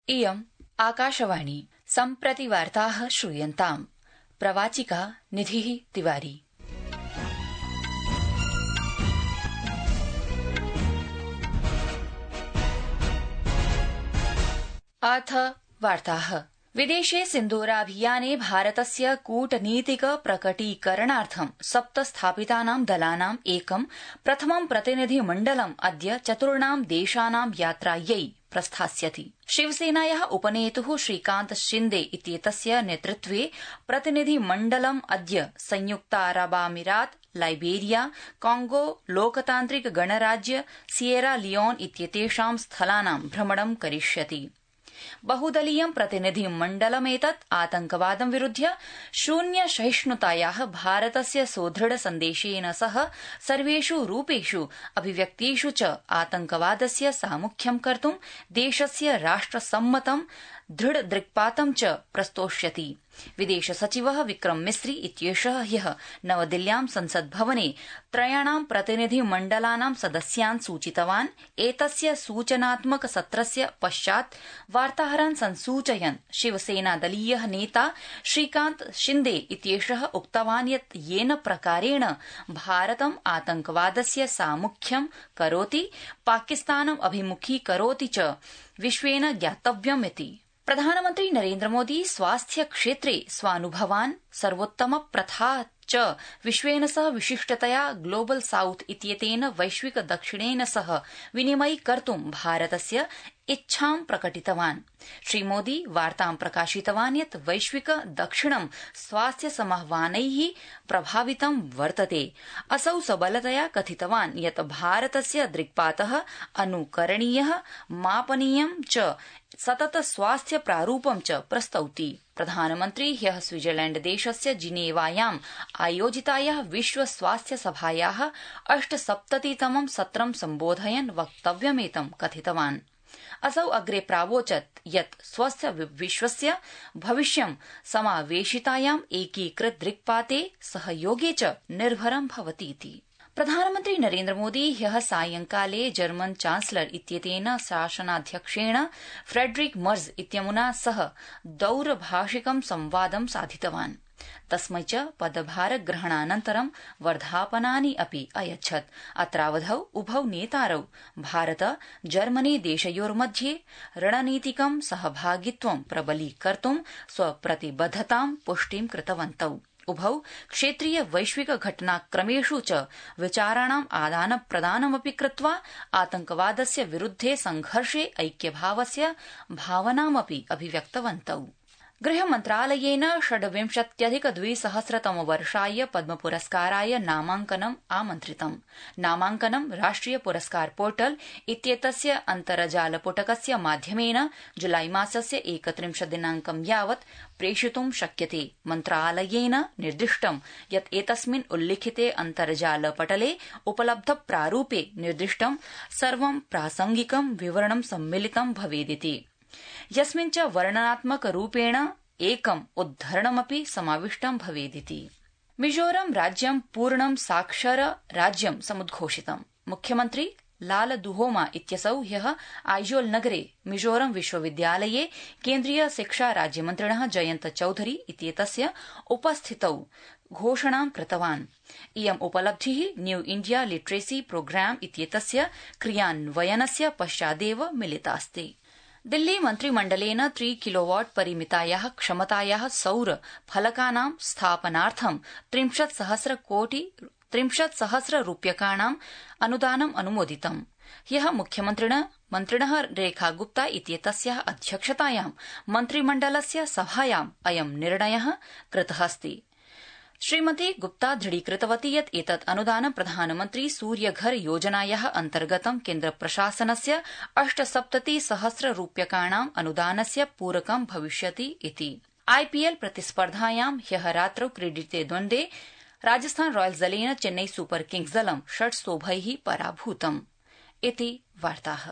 इयम् आकाशवाणी सम्प्रति वार्ताः श्रूयन्ताम्। प्रवाचिका निधिः तिवारी। अथ वार्ताः। विदेशे सिन्दूराभियाने भारतस्य कूटनीतिक प्रकटीकरणार्थं 7 स्थापितानां दलानां एकं प्रथमं प्रतिनिधिमण्डलम् अद्य 4 देशानां यात्रायै प्रस्थास्यति। शिवसेनायाः उपनेतुः श्रीकान्त शिन्दे इत्येतस्य नेतृत्वे प्रतिनिधिमण्डलम् अद्य संयुक्तारबामीरात, लाइबेरिया, कांगो, लोकतान्त्रिक गणराज्य, सियेरा लियोन इत्येतेषां स्थलानां भ्रमणं करिष्यति। बहुदलीयं प्रतिनिधिमण्डलमेतत् आतंकवादं विरुध्य शून्य सहिष्णुतायाः भारतस्य सुदृढ सन्देशेन सह सर्वेषु रूपेषु अभिव्यक्तिषु च आतंकवादस्य सामुख्यं कर्तुं देशस्य राष्ट्रसम्मतं दृढदृक्पातं च प्रस्तोष्यति। विदेश सचिवः विक्रम मिस्री इत्येषः ह्यः नवदिल्ल्यां संसद्भवने 3 प्रतिनिधिमण्डलानां सदस्यान् सूचितवान्। एतस्य सूचनात्मक सत्रस्य पश्चात् वार्ताहरान् संसूचयन् शिवसेनादलीयः नेता श्रीकान्त शिन्दे इत्येषः उक्तवान् यत् येन प्रकारेण भारतम् आतंकवादस्य सामुख्यं करोति, पाकिस्तानम् अभिमुखीकरोति च विश्वेन ज्ञातव्यमिति। प्रधानमन्त्री नरेन्द्रमोदी स्वास्थ्य क्षेत्रे स्वानुभवान् सर्वोत्तम प्रथा च विश्वेन सह विशिष्टतया ग्लोबल साउथ इत्येतेन वैश्विक दक्षिणेन सह विनिमयीकर्तुं भारतस्य इच्छां प्रकटितवान्। श्रीमोदी वार्तां प्रकाशितवान् यत् वैश्विक दक्षिणं स्वास्थ्य समाह्वानैः प्रभावितं वर्तते। असौ सबलतया कथितवान् यत् भारतस्य दृक्पातः अनुकरणीयः, मापनीयं च सतत स्वास्थ्य प्रारूपं च प्रस्तौति। प्रधानमन्त्री ह्यः स्विट्जरलैण्ड देशस्य जिनेवायाम् आयोजितायाः विश्व स्वास्थ्य सभायाः 78तमं सत्रं सम्बोधयन् वक्तव्यमेतं कथितवान्। असौ अग्रे प्रावोचत् यत् स्वस्य विश्वस्य भविष्यं समावेशितायाम् एकीकृत दृक्पाते सहयोगे च निर्भरं भवतीति। प्रधानमन्त्री नरेन्द्रमोदी ह्यः सायंकाले जर्मन चांसलर इत्येतेन शासनाध्यक्षेण फ्रेडरिक मर्ज इत्यमुना सह दौरभाषिकं संवादं साधितवान्। तस्मै च पदभारग्रहणानन्तरं वर्धापनानि अपि अयच्छत्। अत्रावधौ उभौ नेतारौ भारत जर्मनी देशयोर्मध्ये रणनीतिकं सहभागित्वं प्रबलीकर्तुं स्वप्रतिबद्धतां पुष्टिं कृतवन्तौ। उभौ क्षेत्रीय वैश्विक घटनाक्रमेषु च विचाराणाम् आदानप्रदानमपि कृत्वा आतंकवादस्य विरुद्धे संघर्षे ऐक्यभावस्य भावनामपि अभिव्यक्तवन्तौ। गृहमन्त्रालयेन 26,200 पद्मपुरस्काराय नामाङ्कनम् आमन्त्रितम्। नामाङ्कनं राष्ट्रिय पुरस्कार पोर्टल इत्येतस्य अन्तर्जालपुटकस्य माध्यमेन जुलाईमासस्य 31 दिनाङ्कं यावत् प्रेषितुं शक्यते। मन्त्रालयेन निर्दिष्टम् यत् एतस्मिन् उल्लिखिते अन्तर्जालपटले उपलब्ध प्रारूपे निर्दिष्टं सर्वं प्रासंगिकं विवरणं सम्मिलितं भवेदिति, यस्मिन् च वर्णनात्मक रूपेण एकम् उद्धरणमपि समाविष्टं भवेदिति। मिजोरम राज्यं पूर्णं साक्षर राज्यं समुद्घोषितम्। मुख्यमन्त्री लालदुहोमा इत्यसौ ह्यः आइजोल नगरे मिजोरम विश्वविद्यालये केन्द्रीय शिक्षा राज्यमन्त्रिणः जयन्त चौधरी इत्येतस्य उपस्थितौ घोषणां कृतवान्। इयम् उपलब्धिः न्यू इण्डिया लिटरेसी प्रोग्राम इत्येतस्य क्रियान्वयनस्य पश्चादेव मिलितास्ति। दिल्ली मन्त्रिमण्डलेन 3 किलोवाट परिमितायाः क्षमतायाः सौर फलकानां स्थापनार्थं 30,000 रूप्यकाणां अनुदानम् अनुमोदितम्। ह्यः मन्त्रिणः रेखा गुप्ता इत्येतस्याः अध्यक्षतायां मन्त्रिमण्डलस्य सभायाम् अयं निर्णयः कृतः अस्ति। श्रीमती गुप्ता दृढीकृतवती यत् एतत् अनुदानं प्रधानमन्त्री सूर्यघर योजनायाः अन्तर्गतं केन्द्रप्रशासनस्य 78,000 रूप्यकाणाम् अनुदानस्य पूरकं भविष्यति इति। आईपीएल प्रतिस्पर्धायां ह्यः रात्रौ क्रीडिते द्वन्द्वे राजस्थान रॉयल्स दलेन चेन्नई सुपर किंग्स दलं 6 शोभैः पराभूतम् इति वार्ताः।